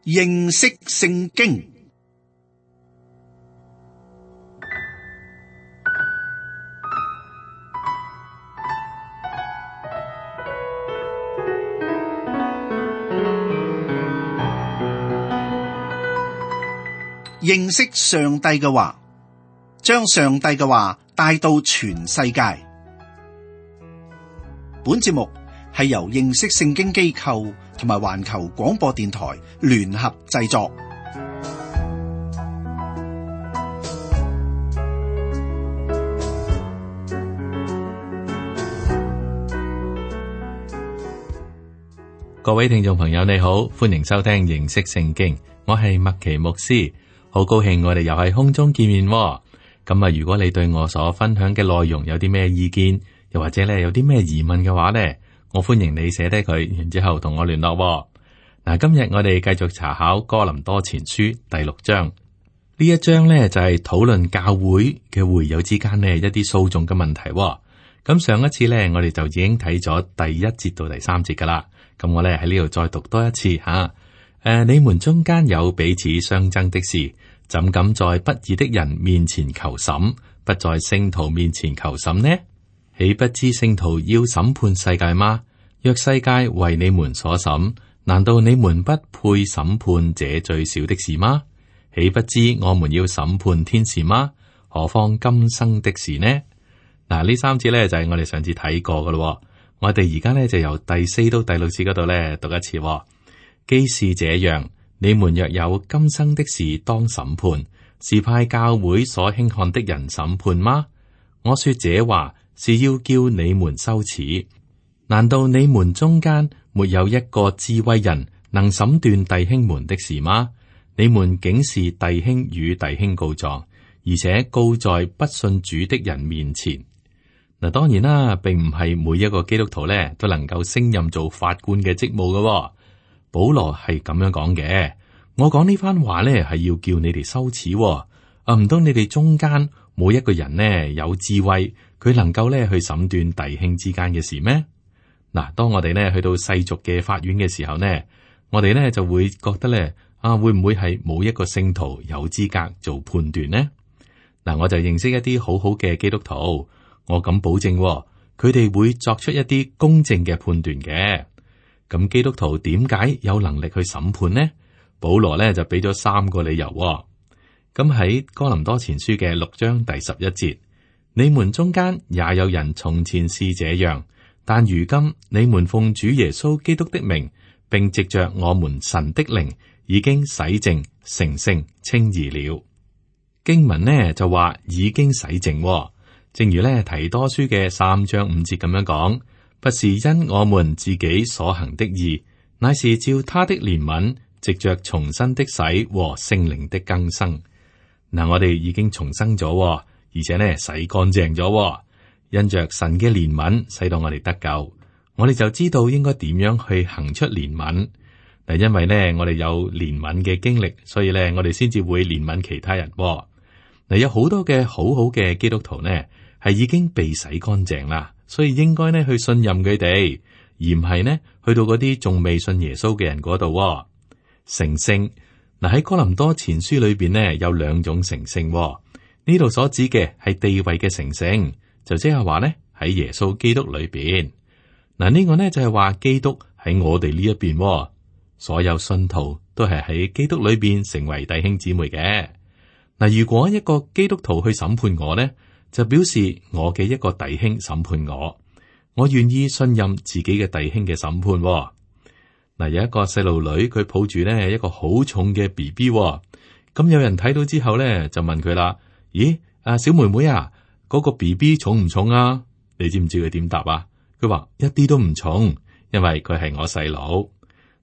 認識聖經。認識上帝嘅話，將上帝嘅話帶到全世界。本節目係由認識聖經機構同埋環球廣播電台聯合製作。各位聽眾朋友，你好，歡迎收聽認識聖經，我係麥奇牧師。好高興我哋又喺空中見面喎。咁啊，如果你對我所分享嘅內容有啲咩意見，又或者咧有啲咩疑問嘅話呢，我歡迎你寫低佢，然之後同我聯絡喎。嗱，今日我哋繼續查考哥林多前書第6章。呢一章呢，就係討論教會嘅會友之間呢一啲訴訟嘅問題喎。咁上一次呢，我哋就已經睇咗第1節到第3節噶啦。咁我呢喺呢度再讀多一次吓。你們中間有彼此相爭的事，怎敢在不義的人面前求審，不在聖徒面前求審呢？豈不知聖徒要審判世界嗎？若世界為你們所審，難道你們不配審判這最小的事嗎？豈不知我們要審判天使嗎？何況今生的事呢？嗱，呢3節咧就係我哋上次睇過噶咯。我哋而家咧就由第4到第6節嗰度咧讀一次。既是這樣，你們若有今生的事當審判，是派教會所輕看的人審判嗎？我說這話是要叫你們羞恥。難道你們中間沒有一個智慧人能審斷弟兄們的事嗎？你們竟是弟兄與弟兄告狀，而且告在不信主的人面前。嗱，當然啦，並唔係每一個基督徒咧都能夠升任做法官嘅職務嘅。保羅係咁樣講嘅，我講呢番話咧係要叫你哋羞恥。唔通你哋中間冇一個人呢有智慧，佢能夠咧去審斷弟兄之間嘅事咩？嗱，當我哋呢去到世俗嘅法院嘅時候呢，我哋呢就會覺得咧會唔會係冇一個聖徒有資格做判斷呢？嗱，我就認識一啲好好嘅基督徒，我敢保證，佢哋會作出一啲公正嘅判斷嘅。咁基督徒點解有能力去審判呢？保羅呢就俾咗3個理由。咁喺哥林多前書嘅6章第11節，你們中間也有人從前是這樣，但如今你們奉主耶穌基督的名，並藉着我們神的靈，已經洗淨、成聖、稱義了。經文呢就話已經洗淨，正如呢提多書嘅3章5節咁樣講。不是因我們自己所行的義，乃是照他的憐憫，藉着重生的洗和聖靈的更生。嗱，我哋已經重生咗，而且呢洗乾淨咗，因着神嘅憐憫，使到我哋得救。我哋就知道應該點樣去行出憐憫。嗱，因為呢我哋有憐憫嘅經歷，所以呢我哋先至會憐憫其他人。嗱，有好多嘅好嘅基督徒呢係已經被洗乾淨啦。所以應該呢去信任佢哋，而唔係呢去到嗰啲仲未信耶穌嘅人嗰度。成聖，嗱，喺哥林多前書裏邊呢有2種成聖，呢度所指嘅係地位嘅成聖，就即係話呢喺耶穌基督裏邊。嗱，呢個呢就係話基督喺我哋呢一邊，所有信徒都係喺基督裏邊成為弟兄姊妹嘅。嗱，如果一個基督徒去審判我呢，就表示我嘅一個弟兄審判我願意信任自己嘅弟兄嘅審判。嗱，有一個細路女，佢抱住呢一個好重嘅 BB，咁有人睇到之後呢，就問佢啦：咦，小妹妹啊，嗰個 BB 重唔重啊？你知唔知佢點答啊？佢話一啲都唔重，因為佢係我細佬。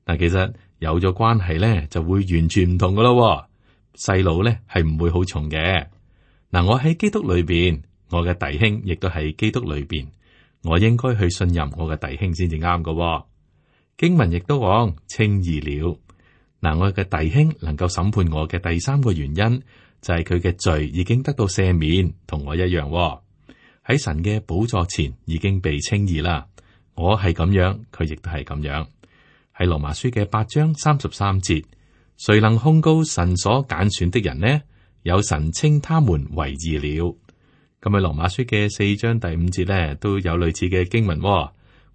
嗱，其實有咗關係呢，就會完全唔同噶咯。細佬呢係唔會好重嘅。嗱，我喺基督裏邊，我嘅弟兄亦都喺基督裏邊，我應該去信任我嘅弟兄先至啱㗎。經文亦都講稱義了。嗱，我嘅弟兄能夠審判我嘅第3個原因，就係佢嘅罪已經得到赦免，同我一樣喺神嘅寶座前已經被稱義啦。我係咁樣，佢亦都係咁樣。喺羅馬書嘅8章33節，誰能控告神所揀選的人呢？有神稱他們為義了。咁喺羅馬書嘅4章第5節呢，都有類似嘅經文，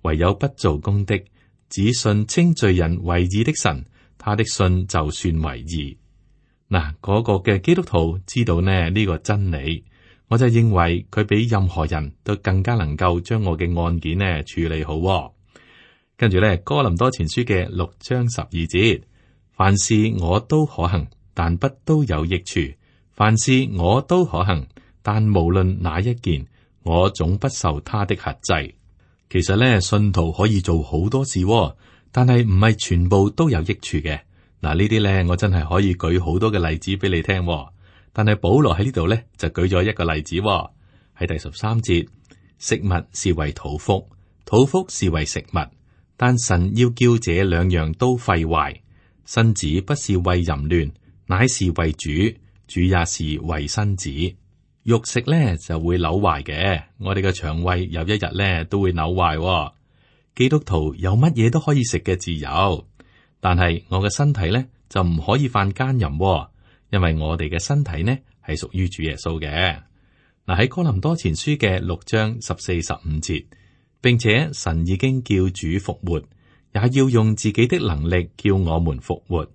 唯有不做工的，只信稱罪人為義的神，他的信就算為義。嗱，嗰個嘅基督徒知道呢個真理，我就認為佢比任何人都更加能夠將我嘅案件呢處理好。跟住呢，哥林多前書嘅6章12節，凡事我都可行，但不都有益處；凡事我都可行，但無論哪一件，我總不受他的轄制。其實呢，信徒可以做好多事，但係唔係全部都有益處嘅。嗱，呢啲呢，我真係可以舉好多嘅例子俾你聽。但係保羅喺呢度呢，就舉咗一個例子，喺第13節，食物是為肚腹，肚腹是為食物，但神要叫這兩樣都廢壞。身子不是為淫亂，乃是為主，主也是為身子。肉食呢就會扭壞嘅，我哋嘅腸胃有一日呢都會扭壞。基督徒有乜嘢都可以食嘅自由，但係我嘅身體呢就唔可以犯奸淫，因為我哋嘅身體呢係屬於主耶穌嘅。嗱，喺哥林多前書嘅6章14、15節，並且神已經叫主復活，也要用自己的能力叫我們復活。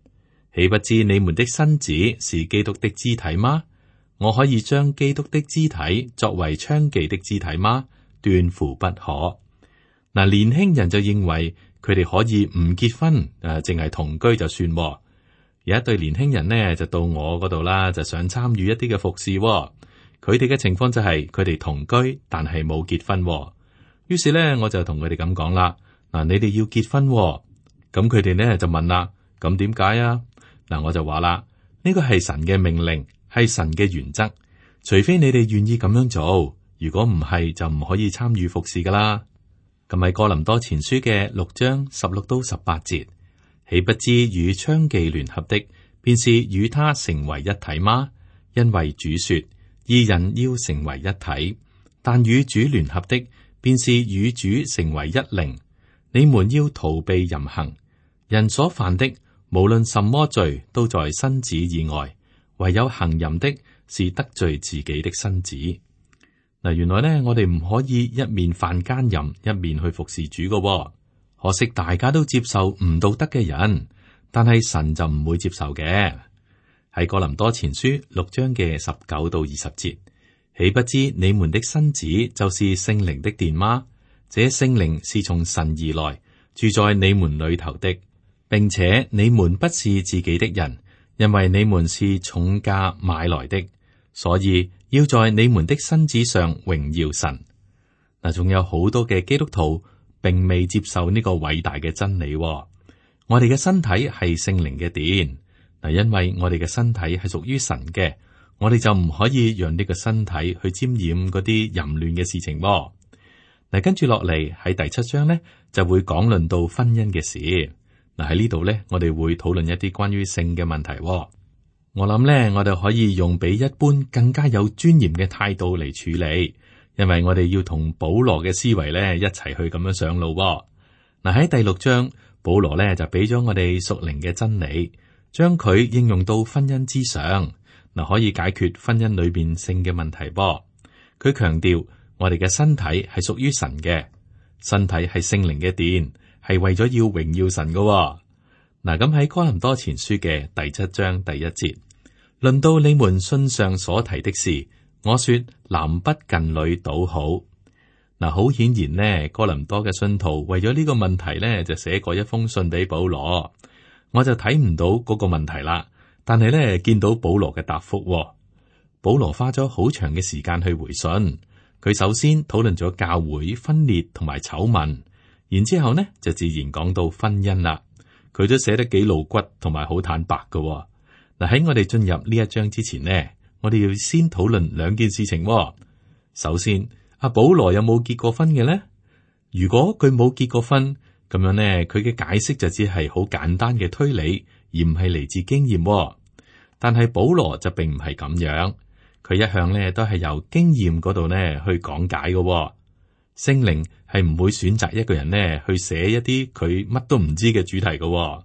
豈不知你們的身子是基督的肢體嗎？我可以將基督的肢體作為娼妓的肢體嗎？斷乎不可。嗱，年輕人就認為佢哋可以唔結婚，淨係同居就算。有一對年輕人呢，就到我嗰度啦，就想參與一啲嘅服侍。佢哋嘅情況就係佢哋同居，但係冇結婚。於是呢，我就同佢哋咁講啦。嗱，你哋要結婚，咁佢哋呢就問啦，咁點解啊？嗱，我就話啦，呢個係神嘅命令，係神嘅原則，除非你哋願意咁樣做，如果唔係，就唔可以參與服侍噶啦。咁喺哥林多前書嘅6章16到18節，豈不知與娼妓聯合的，便是與他成為一體嗎？因為主說，二人要成為一體，但與主聯合的，便是與主成為一靈。你們要逃避淫行，人所犯的，無論什麼罪，都在身子以外，唯有行淫的，是得罪自己的身子。嗱，原來呢，我哋唔可以一面犯奸淫，一面去服侍主嘅。可惜大家都接受唔道德嘅人，但係神就唔會接受嘅。喺哥林多前書6章嘅19到20節，豈不知你們的身子就是聖靈的殿嗎？這聖靈是從神而來，住在你們裏頭的，並且你們不是自己的人，因為你們是重價買來的，所以要在你們的身子上榮耀神。嗱，仲有好多嘅基督徒並未接受呢個偉大嘅真理。我哋嘅身體係聖靈嘅殿，嗱，因為我哋嘅身體係屬於神嘅，我哋就唔可以讓呢個身體去沾染嗰啲淫亂嘅事情。嗱，跟住落嚟喺第7章呢，就會講論到婚姻嘅事。嗱，喺呢度呢，我哋會討論一啲關於性嘅問題。我諗呢，我哋可以用比一般更加有尊嚴嘅態度嚟處理，因為我哋要同保羅嘅思維呢一齊去咁樣上路。嗱，喺第6章，保羅呢就俾咗我哋屬靈嘅真理，將佢應用到婚姻之上，嗱，可以解決婚姻裏邊性嘅問題。佢強調我哋嘅身體係屬於神嘅，身體係聖靈嘅殿，係為咗要榮耀神嘅。嗱，咁喺哥林多前書嘅第7章第1節，論到你們信上所提的事，我說男不近女倒好。嗱，好顯然呢，哥林多嘅信徒為咗呢個問題呢，就寫過一封信俾保羅。我就睇唔到嗰個問題啦，但係呢，見到保羅嘅答覆。保羅花咗好長嘅時間去回信，佢首先討論咗教會分裂同埋醜聞，然之後呢就自然講到婚姻啦。佢都寫得幾露骨同埋好坦白㗎。嗱，喺我哋進入呢一章之前呢，我哋要先討論兩件事情。首先，阿保羅有冇結過婚嘅呢？如果佢冇結過婚，咁樣呢，佢嘅解釋就只係好簡單嘅推理，而唔係嚟自經驗。但係保羅就並唔係咁樣，佢一向呢都係由經驗嗰度呢去講解嘅。聖靈係唔會選擇一個人呢去寫一啲佢乜都唔知嘅主題嘅。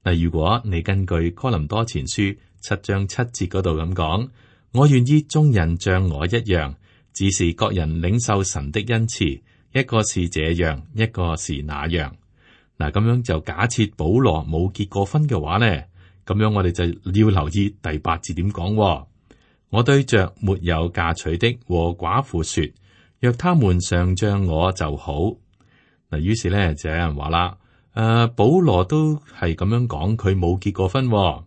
嗱，如果你根據哥林多前書7章7節嗰度咁講，我願意眾人像我一樣，只是各人領受神的恩賜，一個是這樣，一個是那樣。嗱，咁樣就假設保羅冇結過婚嘅話呢，咁樣我哋就要留意第8節點講。我對着沒有嫁娶的和寡婦說，若他們常像我就好。嗱，於是咧就有人話啦，保羅都係咁樣講，佢冇結過婚。嗱，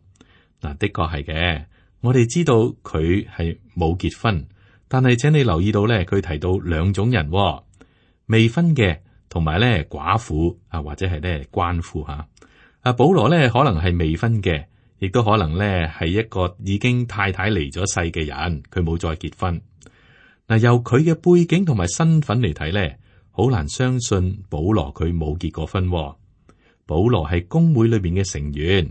的確係嘅，我哋知道佢係冇結婚，但係請你留意到咧，佢提到兩種人，未婚嘅同埋咧寡婦啊，或者係咧鰥婦吓。保羅咧可能係未婚嘅，亦都可能咧係一個已經太太離咗世嘅人，佢冇再結婚。嗱，由佢嘅背景同埋身份嚟睇咧，好難相信保羅佢冇結過婚。保羅係公會裏邊嘅成員，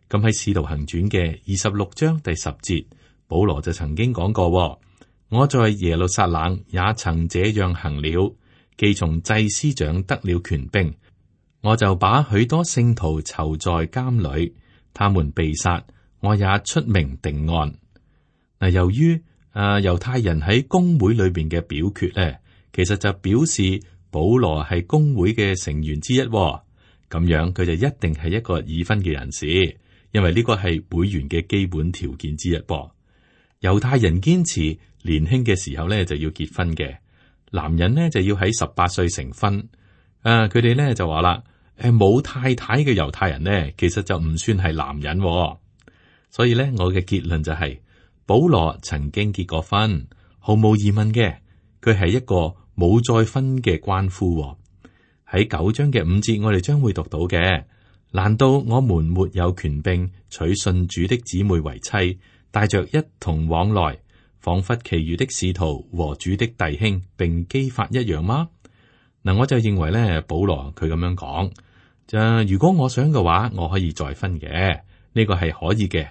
咁喺《使徒行傳》嘅26章第10節，保羅就曾經講過：我在耶路撒冷也曾這樣行了，既從祭司長得了權柄，我就把許多聖徒囚在監裏，他們被殺，我也出名定案。嗱，由於猶太人喺公會裏邊嘅表決咧，其實就表示保羅係公會嘅成員之一，咁樣佢就一定係一個已婚嘅人士，因為呢個係會員嘅基本條件之一噃。猶太人堅持年輕嘅時候咧就要結婚嘅，男人呢就要喺18歲成婚。佢哋咧就話啦，冇太太嘅猶太人呢，其實就唔算係男人。所以咧，我嘅結論就係，保羅曾經結過婚，毫無疑問嘅，佢係一個冇再婚嘅鰥夫。喺9章嘅5節，我哋將會讀到嘅。難道我們沒有權柄娶信主的姊妹為妻，帶着一同往來，仿佛其餘的使徒和主的弟兄並基法一樣嗎？嗱，我就認為咧，保羅佢咁樣講，如果我想嘅話，我可以再婚嘅，呢個係可以嘅。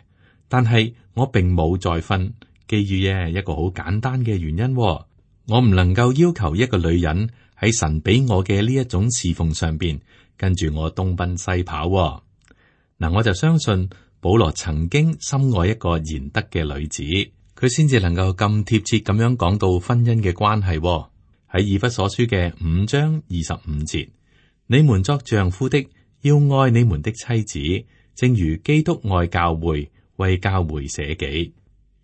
但係我並冇再婚，基於一個好簡單嘅原因，我唔能夠要求一個女人喺神俾我嘅呢一種侍奉上邊跟住我東奔西跑。嗱，我就相信保羅曾經深愛一個賢德嘅女子，佢先至能夠咁貼切咁樣講到婚姻嘅關係。喺以弗所書嘅5章25節，你們作丈夫的要愛你們的妻子，正如基督愛教會，為教會捨己。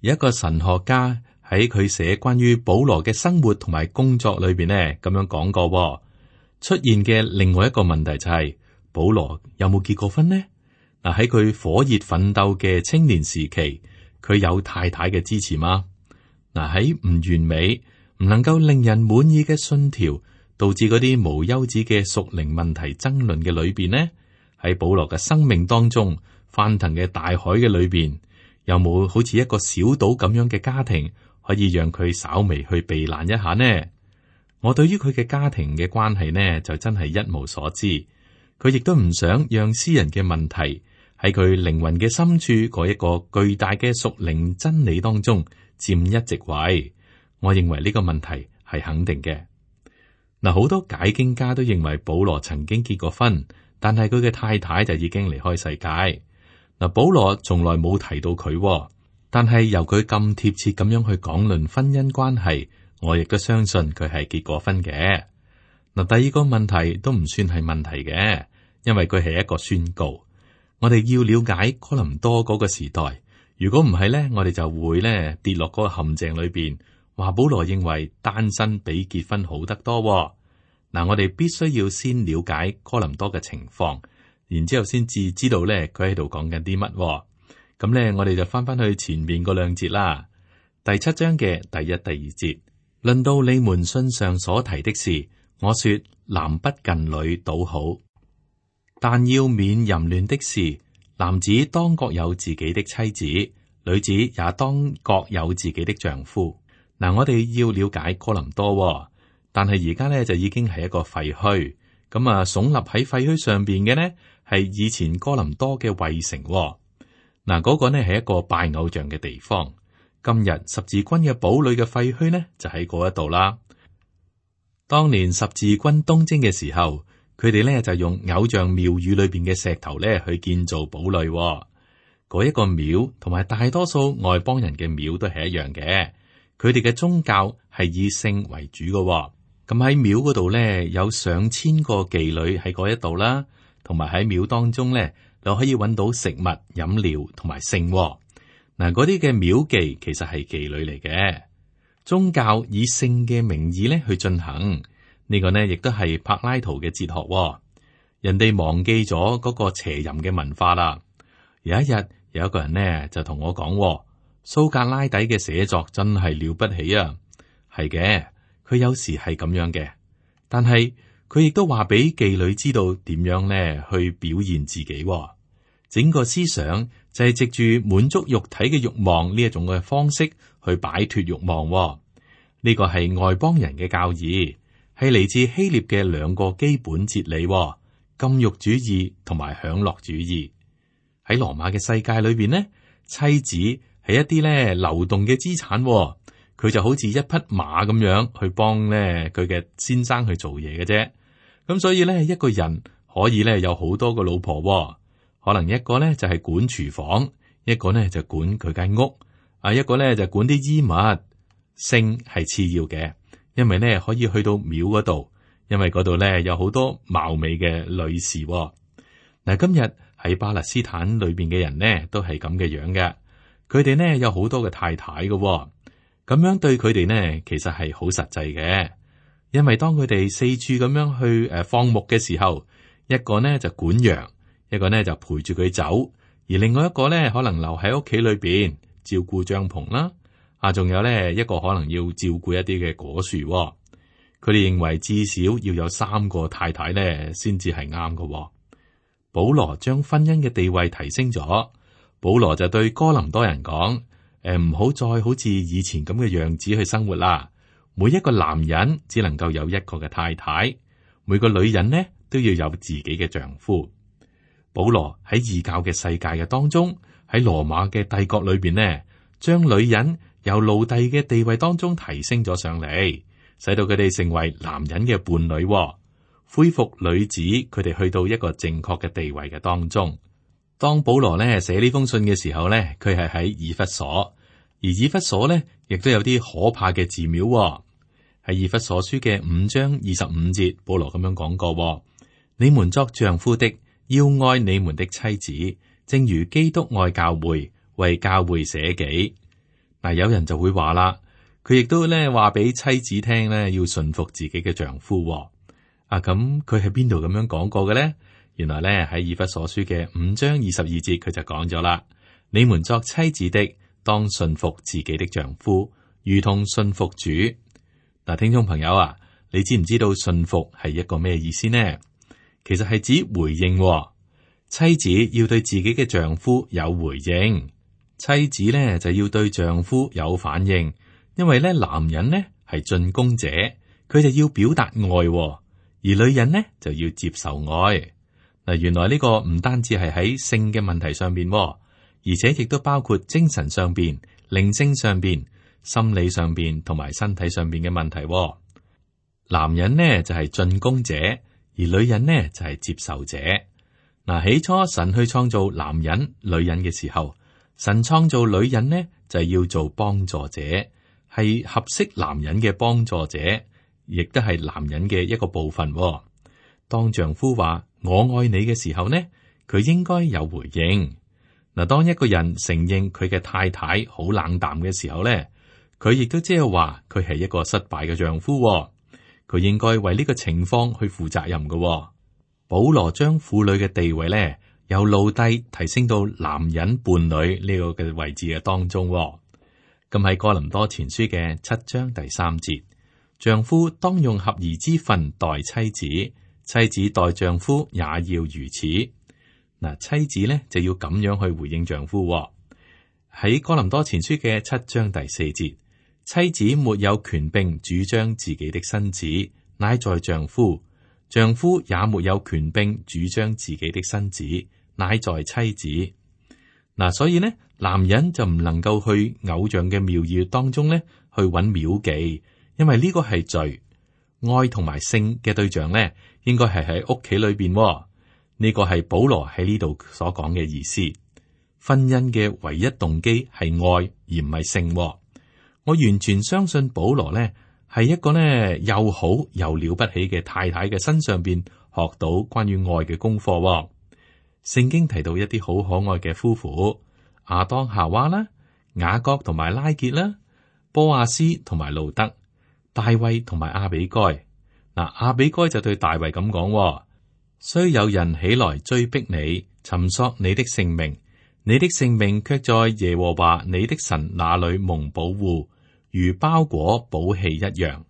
有一個神學家喺佢寫關於保羅嘅生活同埋工作裏邊呢，咁樣講過。出現嘅另外一個問題就係，保羅有冇結過婚呢？嗱，喺佢火熱奮鬥嘅青年時期，佢有太太嘅支持嗎？嗱，喺唔完美、唔能夠令人滿意嘅信條，導致嗰啲無休止嘅屬靈問題爭論嘅裏邊呢？喺保羅嘅生命當中，翻騰嘅大海嘅裏邊，有冇好似一個小島咁樣嘅家庭，可以讓佢稍微去避難一下呢？我對於佢嘅家庭嘅關係呢，就真係一無所知。佢亦都唔想讓私人嘅問題喺佢靈魂嘅深處嗰一個巨大嘅屬靈真理當中佔一席位。我認為呢個問題係肯定嘅。嗱，好多解經家都認為保羅曾經結過婚，但係佢嘅太太就已經離開世界。嗱，保羅從來冇提到佢，但係由佢咁貼切咁樣去講論婚姻關係，我亦都相信佢係結過婚嘅。嗱，第二個問題都唔算係問題嘅，因為佢係一個宣告。我哋要了解哥林多嗰個時代，如果唔係咧，我哋就會咧跌落嗰個陷阱裏邊，話保羅認為單身比結婚好得多。嗱，我哋必須要先了解哥林多嘅情況，然之後先至知道咧佢喺度講緊啲乜。咁咧，我哋就翻去前面嗰2節啦。第7章嘅第1、第2節，論到你們信上所提的事，我說男不近女倒好，但要免淫亂的事。男子當各有自己的妻子，女子也當各有自己的丈夫。嗱，我哋要了解哥林多，但係而家咧就已經係一個廢墟。咁啊，聳立喺廢墟上邊嘅呢，係以前哥林多嘅衛城。嗱，嗰個呢係一個拜偶像嘅地方。今日十字軍嘅堡壘嘅廢墟呢，就喺嗰一度啦。當年十字軍東征嘅時候，佢哋咧就用偶像廟宇裏邊嘅石頭咧去建造堡壘。嗰一個廟同埋大多數外邦人嘅廟都係一樣嘅，佢哋嘅宗教係以性為主嘅。咁喺廟嗰度咧有上千個妓女喺嗰一度啦，同埋喺廟當中咧就可以揾到食物、飲料同埋性。嗱，嗰啲嘅廟妓其實係妓女嚟嘅，宗教以性嘅名義咧去進行。呢個呢亦都係柏拉圖嘅哲學。人哋忘記咗嗰個邪淫嘅文化啦。有一日，有一個人呢就同我講，蘇格拉底嘅寫作真係了不起啊！係嘅，佢有時係咁樣嘅，但係佢亦都話俾妓女知道點樣呢去表現自己。整個思想就係藉住滿足肉體嘅慾望呢一種嘅方式去擺脫慾望。呢個係外邦人嘅教義，係嚟自希臘嘅兩個基本哲理：禁慾主義同埋享樂主義。喺羅馬嘅世界裏邊呢，妻子係一啲咧流動嘅資產，佢就好似一匹馬咁樣去幫咧佢嘅先生去做嘢嘅啫。咁所以咧，一個人可以咧有好多個老婆，可能一個咧就係管廚房，一個咧就管佢間屋，一個咧就管啲衣物。性係次要嘅，因為咧可以去到廟嗰度，因為嗰度咧有好多貌美嘅女士。嗱，今日喺巴勒斯坦裏邊嘅人呢，都係咁嘅樣嘅。佢哋呢有好多嘅太太嘅，咁樣對佢哋呢，其實係好實際嘅。因為當佢哋四處咁樣去放牧嘅時候，一個呢就管羊，一個呢就陪住佢走，而另外一個呢可能留喺屋企裏邊照顧帳篷啦。仲有呢一個可能要照顧一啲嘅果樹。佢哋認為至少要有3個太太呢，先至係啱嘅。保羅將婚姻嘅地位提升咗。保羅就對哥林多人講：唔好再好似以前咁嘅樣子去生活啦。每一個男人只能夠有一個嘅太太，每個女人呢都要有自己嘅丈夫。保羅喺異教嘅世界嘅當中，喺羅馬嘅帝國裏邊呢，將女人由奴隸嘅地位當中提升咗上嚟，使到佢哋成為男人嘅伴侶，恢復女子佢哋去到一個正確嘅地位嘅當中。當保羅呢寫呢封信嘅時候呢，佢係喺以弗所，而以弗所呢亦都有啲可怕嘅寺廟。喺以弗所書嘅5章25節，保羅咁樣講過：你們作丈夫的要愛你們的妻子，正如基督愛教會，為教會捨己。嗱，有人就會話啦，佢亦都咧話俾妻子聽咧，要順服自己嘅丈夫。咁佢喺邊度咁樣講過嘅咧？原來咧喺以弗所書嘅5章22節，佢就講咗啦：你們作妻子的，當順服自己的丈夫，如同順服主。嗱，聽眾朋友啊，你知唔知道順服係一個咩意思呢？其實係指回應。妻子要對自己嘅丈夫有回應。妻子咧就要對丈夫有反應，因為咧男人呢係進攻者，佢就要表達愛，而女人呢就要接受愛。嗱，原來呢個唔單止係喺性嘅問題上邊，而且亦都包括精神上邊、靈性上邊、心理上邊同埋身體上邊嘅問題。男人呢就係進攻者，而女人呢就係接受者。嗱，起初神去創造男人、女人嘅時候，神創造女人呢，就係要做幫助者，係合適男人嘅幫助者，亦都係男人嘅一個部分。當丈夫話我愛你嘅時候呢，佢應該有回應。嗱，當一個人承認佢嘅太太好冷淡嘅時候呢，佢亦都即係話佢係一個失敗嘅丈夫。佢應該為呢個情況去負責任嘅。保羅將婦女嘅地位呢，由奴隸提升到男人伴侶呢個嘅位置嘅當中。咁喺哥林多前書嘅7章第3節，丈夫當用合宜之分待妻子，妻子待丈夫也要如此。嗱，妻子呢就要咁樣去回應丈夫。喺哥林多前書嘅7章第4節，妻子沒有權柄主張自己的身子，乃在丈夫；丈夫也沒有權柄主張自己的身子，乃在妻子。嗱，所以呢，男人就唔能夠去偶像嘅廟宇當中呢去揾廟妓，因為呢個係罪。愛同埋性嘅對象呢，應該係喺屋企裏邊。呢個係保羅喺呢度所講嘅意思。婚姻嘅唯一動機係愛，而唔係性。我完全相信保羅呢係一個呢又好又了不起嘅太太嘅身上邊學到關於愛嘅功課。聖經提到一啲好可愛嘅夫婦，亞當夏娃啦，雅各同埋拉結啦，波阿斯同埋路德，大衛同埋亞比該。嗱，亞比該就對大衛咁講：雖有人起來追逼你，尋索你的性命，你的性命卻在耶和華你的神那裏蒙保護，如包裹寶器一樣。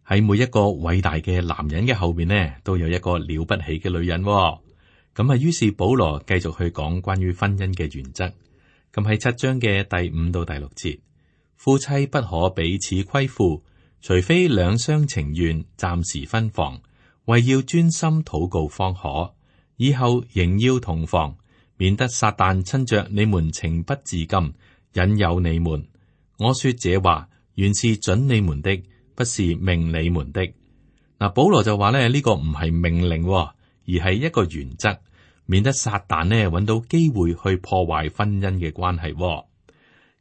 喺每一個偉大嘅男人嘅後面呢，都有一個了不起嘅女人。咁啊，於是保羅繼續去講關於婚姻嘅原則。咁喺7章嘅第5到第6節，夫妻不可彼此虧負，除非兩相情願，暫時分房，為要專心禱告方可。以後仍要同房，免得撒旦趁着你們情不自禁，引誘你們。我說這話，原是准你們的，不是命你們的。嗱，保羅就話咧，呢個唔係命令，而係一個原則，免得撒旦呢揾到機會去破壞婚姻嘅關係。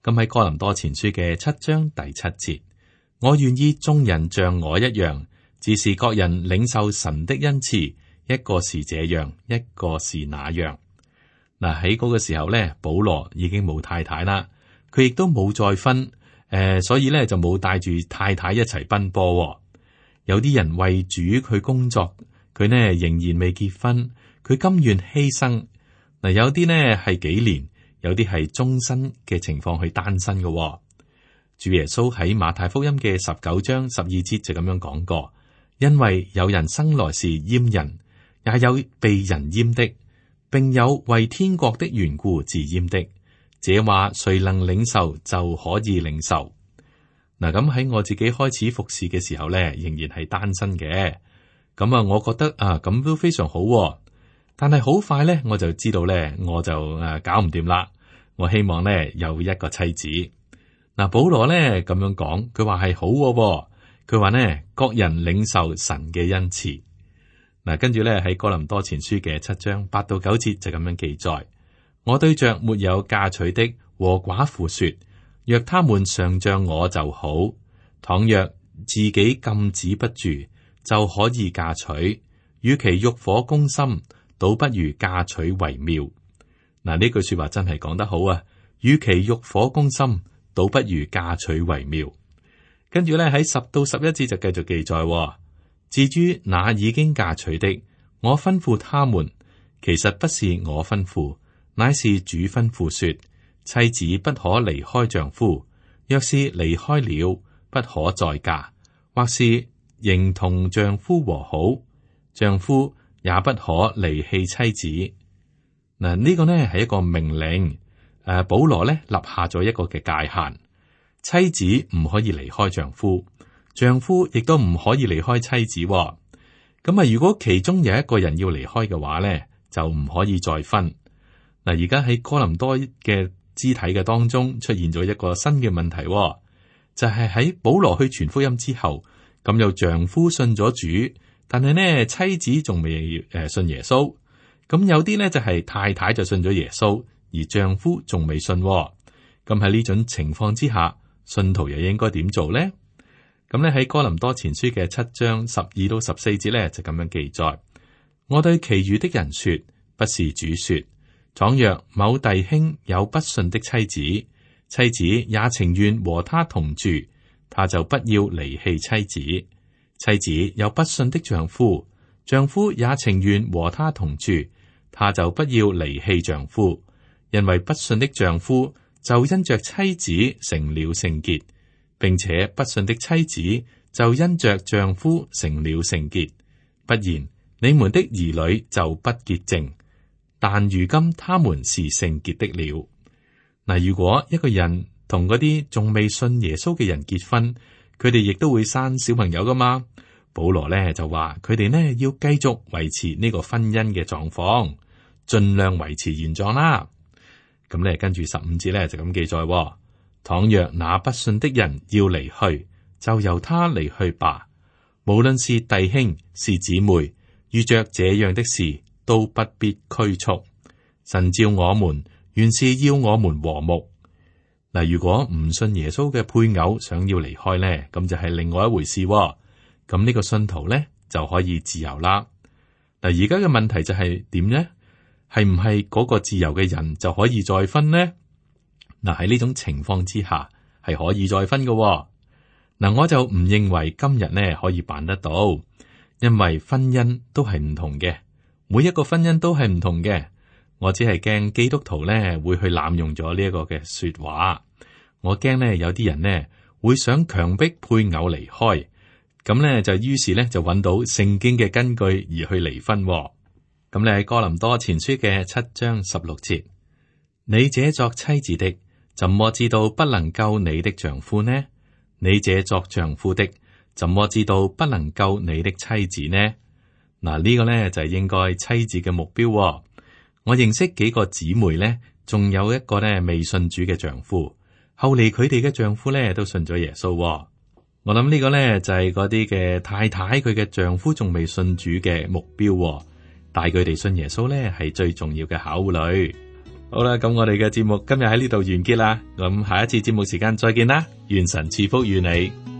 咁喺哥林多前書嘅7章第7節，我願意眾人像我一樣，只是各人領受神的恩賜，一個是這樣，一個是那樣。嗱，喺嗰個時候咧，保羅已經冇太太啦，佢亦都冇再婚，所以咧就冇帶住太太一齊奔波。有啲人為主佢工作，佢呢仍然未結婚，佢甘願犧牲。嗱，有啲呢係幾年，有啲係終身嘅情況去單身嘅。主耶穌喺馬太福音嘅19章12節就咁樣講過，因為有人生來是閹人，也有被人閹的，並有為天國的緣故自閹的。這話誰能領受就可以領受。嗱，咁喺我自己開始服侍嘅時候咧，仍然係單身嘅。咁啊，我覺得啊，咁都非常好。但係好快咧，我就知道咧，我就搞唔掂啦。我希望咧有一個妻子。嗱，保羅咧咁樣講，佢話係好。佢話呢，各人領受神嘅恩賜。嗱，跟住咧喺哥林多前書嘅7章8到9節就咁樣記載：我對着沒有嫁娶的和寡婦說，若他們常像我就好；倘若自己禁止不住，就可以嫁娶。與其欲火攻心，倒不如嫁娶為妙。嗱，呢句說話真係講得好啊！與其欲火攻心，倒不如嫁娶為妙。跟住咧喺10到11節就繼續記載：至於那已經嫁娶的，我吩咐他們，其實不是我吩咐，乃是主吩咐說，妻子不可離開丈夫，若是離開了，不可再嫁，或是仍同丈夫和好，丈夫也不可離棄妻子。嗱，呢個呢係一個命令。保羅呢立下咗一個嘅界限，妻子唔可以離開丈夫，丈夫亦都唔可以離開妻子。咁啊，如果其中有一個人要離開嘅話呢，就唔可以再婚。嗱，而家喺哥林多嘅肢體嘅當中出現咗一個新嘅問題，就係喺保羅去傳福音之後，咁有丈夫信咗主，但係呢妻子仲未信耶穌。咁有啲呢就係太太就信咗耶穌，而丈夫仲未信。咁喺呢種情況之下，信徒又應該點做呢？咁咧喺哥林多前書嘅7章12到14節咧就咁樣記載：我對其餘的人說，不是主說，倘若某弟兄有不信的妻子，妻子也情願和他同住，他就不要離棄妻子；妻子有不信的丈夫，丈夫也情願和他同住，他就不要離棄丈夫。因為不信的丈夫就因着妻子成了聖潔，並且不信的妻子就因着丈夫成了聖潔。不然，你們的兒女就不潔淨，但如今他們是聖潔的了。嗱，如果一個人同嗰啲仲未信耶穌嘅人結婚，佢哋亦都會生小朋友噶嘛。保羅呢就話佢哋呢要繼續維持呢個婚姻嘅狀況，盡量維持原狀啦。咁咧跟住15節咧就咁記載：倘若那不信的人要離去，就由他離去吧。無論是弟兄是姊妹，遇着這樣的事，都不必拘束。神召我們，原是要我們和睦。嗱，如果唔信耶穌嘅配偶想要離開呢，咁就係另外一回事。咁呢個信徒呢，就可以自由啦。嗱，而家嘅問題就係點呢？係唔係嗰個自由嘅人就可以再婚呢？嗱，喺呢種情況之下係可以再婚嘅。嗱，我就唔認為今日呢可以辦得到，因為婚姻都係唔同嘅，每一個婚姻都係唔同嘅。我只係驚基督徒呢會去濫用咗呢一個嘅說話，我驚呢有啲人呢會想強迫配偶離開，咁呢就於是呢就揾到聖經嘅根據而去離婚。咁你喺哥林多前書嘅7章16節，你這作妻子的，怎麼知道不能救你的丈夫呢？你這作丈夫的，怎麼知道不能救你的妻子呢？嗱，呢個呢就係應該妻子嘅目標。我認識幾個姊妹呢，仲有一個呢未信主嘅丈夫，後嚟佢哋嘅丈夫呢都信咗耶穌。我諗呢個呢就係嗰啲嘅太太，佢嘅丈夫仲未信主嘅目標，帶佢哋信耶穌呢係最重要嘅考慮。好啦，咁我哋嘅節目今日喺呢度完結啦，咁下一次節目時間再見啦，願神賜福與你。